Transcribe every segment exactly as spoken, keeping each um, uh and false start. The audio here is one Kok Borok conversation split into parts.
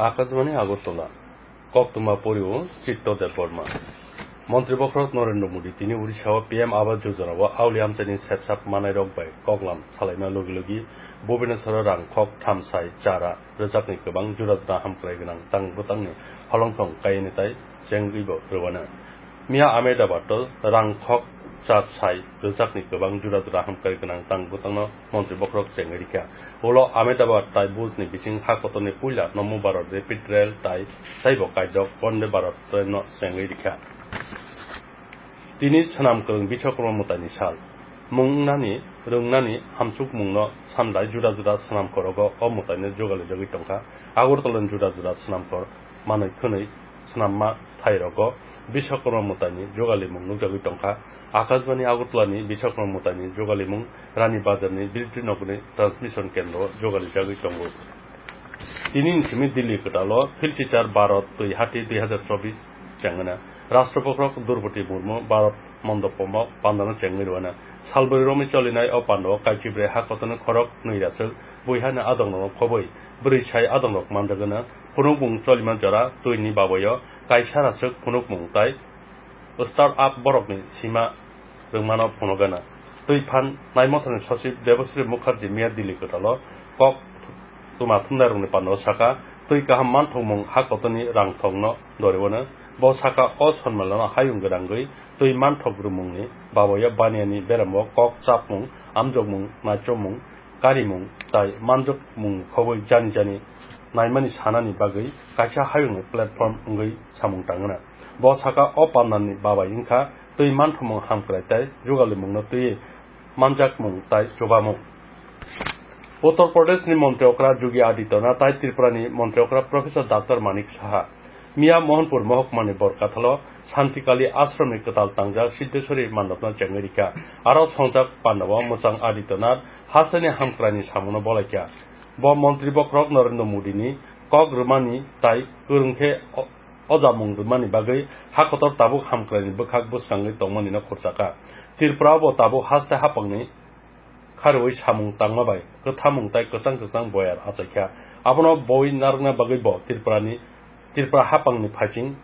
Akashbani Agartala, koktwma porio Chitto Debbarma. Montri bokhorok Narendra Modi tini Odisha o P M Awas Yojana o auli amchaini sepsap manairok bai koklam salaima logi logi Bhubaneswar o rang khok thamsai chara rwjakni kwbang jura jura hamkrai gwnang tang bwtangni holongthong kaiwi tai chengwibo rwano. Miya Ahmedabad o rang khok char sai rwjakni kwbang jura jura hamkrai gwnang tang bwtangno montri bokhorok chengwi rikha. Ulo Ahmedabad tai Bhuj ni bising ha kotorni puila Nomo Bharat Rapid Rail tai taibo kaijok Vande Bharat train no chengwi rikha. Tini swnam kwrwng Biswakarma mwtaini sal. Mung wngnani, rwngnani, hamchukmungno sanlai juda juda swnamkhorogo o mwtaino jugalijagwi tongkha. Agartala ni juda juda swnamkhor manwi khwnwi swnamma thairogo Biswakarma mwtaini jugalimung nukjagwi tongkha. Akashbani Agartala ni Biswakarma mwtaini jugalimung Rani Bazar ni Biltri Nogor ni transmission kendro o jugalijagwi tongo. Tini ni simi Delhi kwtal o Field Teacher Bharat Twi Hati dui hazar chobbish chengmano. Rashtra Bokhorok Droupadi Murmu Bharat Mandopom o pandano chengwi rwano. Salbrwi romwi cholinai o pandao kaichibrwi ha kotorni khorok nwi raswk buihani adongrokno khobwi bwrwi sai adongrok manjagwno. Phunukmung cholima jora twini babaio kaisa raswk phunukmung tai start up borokni sima rwngmano phunukgana. Twi phan naimotharni sochib Debasri Mukherjee miya Delhi kwtalo kok tuma thumnairokni pandao saka, twi kaham manthokmung ha kotorni rangthokno doriwano. Bo saka o sonmelano hayung gwnangwi twi manthok rwmungni babaio baniani beramo kok chapmung, amjokmung, naichomung, karimung tai manjokmungni khobwi jani jani naimani sanani bagwi kaisa hayungni platform wngwi samung tangna. Bo saka o pandani babai wngkha twi manthomung hamkrai tai jugalimungno twiwi manjakmung tai chubamung. Uttar Pradeshni Montri Okra Yogi Adityanath tai Tripurani Montri Okra Professor Doctor Manik Saha miya Mohanpur mohokmani Borkathalo Santikali Ashramni kwtal tangjak Siddheswari mandopno chengwi rikha. Aro songjak pandao mwchang Adityanath hasteni hamkraini samungno bolaikha. Bo montri bokhorok Narendra Modini kok rwmani tai kwrwng khe o-, ojamung rwmani bagwi ha kotor tabuk hamkraini bwkhak bwskangwi tongmanino khurchakha. Tripura bo tabuk haste hapangni kharwi samung tangma bai kwthamung tai kwchang kwchang boyar achaikha. Abono boi narwkna bagwi bo Tripurani, Tripura hapangni phaiching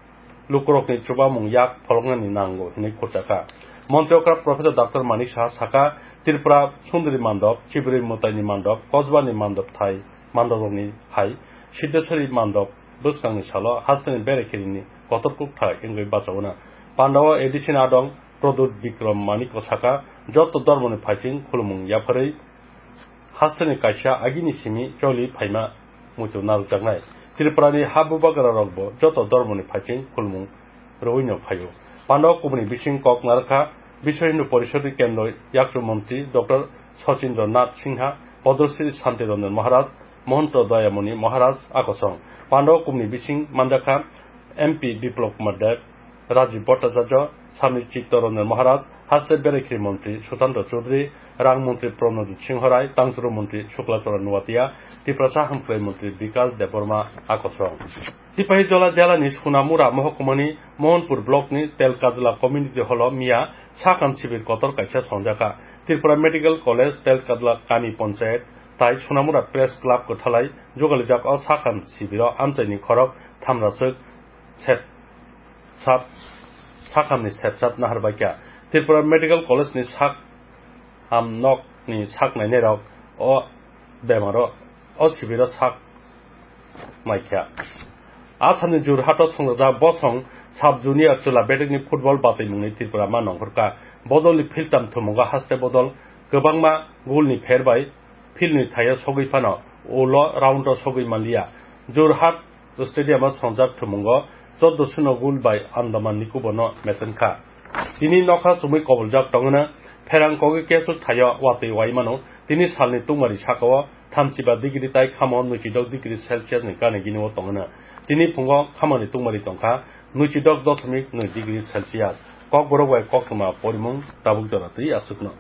lukurokni chubamung yak pholoknani nango hinwi khurchakha. Montri okra Professor Doctor Manik Saha sakha, Tripura Sundri Mandop, Chibrwi Mwtaini Mandop, Kosbani Mandop thai, Mandorokni hai, Siddheswari Mandop bwskangni salo hasteni berekhirikni kotor kukthai wngwi bachaono. Pandao A D C ni adong Pradyut Bikram Manik sakha, joto dormoni phaiching khulumung yapharwi hasteni kaisa agini simi choli phaima muitu narwkjaknai. Tripurani ha bubagra rokbo joto dormoni phaiching khulumung rwino phaio. Pandao kubuni bising kok narwkha Biswa Hindu Porishodni Kendro Yakchu Montri Doctor Sachindra Nath Sinha, Padmashri Santi Ranjan Maharaj, Mohanta Dayamoni Maharaj akosong. Pandao kubuni bising manjakha M P Biplab Kumar Deb, Rajiv Bhattacharya, Sami Chittaranjan Maharaj, Haste Berekhiri Montri Sushanta Chaudhary, Rang Montri Pranajit Singh Rai, Tangsuru Montri Shukla Charan Noatia, Tiprasa Hamkrai Montri Bikas Debbarma akosong. Sipahijola jela ni Sonamura mohokuma ni Mohanpur block ni Telkajla community hall o miya sakam sibir kotor kaisa songjakha. Tripura Medical College Telkajla kami panchayat tai Sonamura Press Club kwthalai jugalijak o sakam sibir o amchai ni khorok thamraswk sep sap sakhamni sepsap naharbaikha. Tripura Medical College ni sak ham nok ni sak nainai rok o bemaro o sibiro sak maikha. Asamni Jorhato songjak bosong sub junior chwla bedekni football batwimungni Tripura ma nongkhorkha. Bodolni philtam thumungo haste bodol kwbangma golni pher bai field ni thaio sogwi phano ulo round o sogwi manliya. Jorhat Stadium o songjak thumungo chordo suno goal bai Andaman Nicobar no mechenkha. Tini nokha chumui koboljak tongwno pherang kogwi keswk thaio watwi waimano. Tini salni tungmari sakao thamchiba degree tai khamo nuichidok degree Celsius ni gana gini o tongwno. Tini phungo khamoni tungmari tongkha nuichidok dosmik nwi degree Celsius. Kokborok bai koktwma porimung tabuk jora twi aswkno.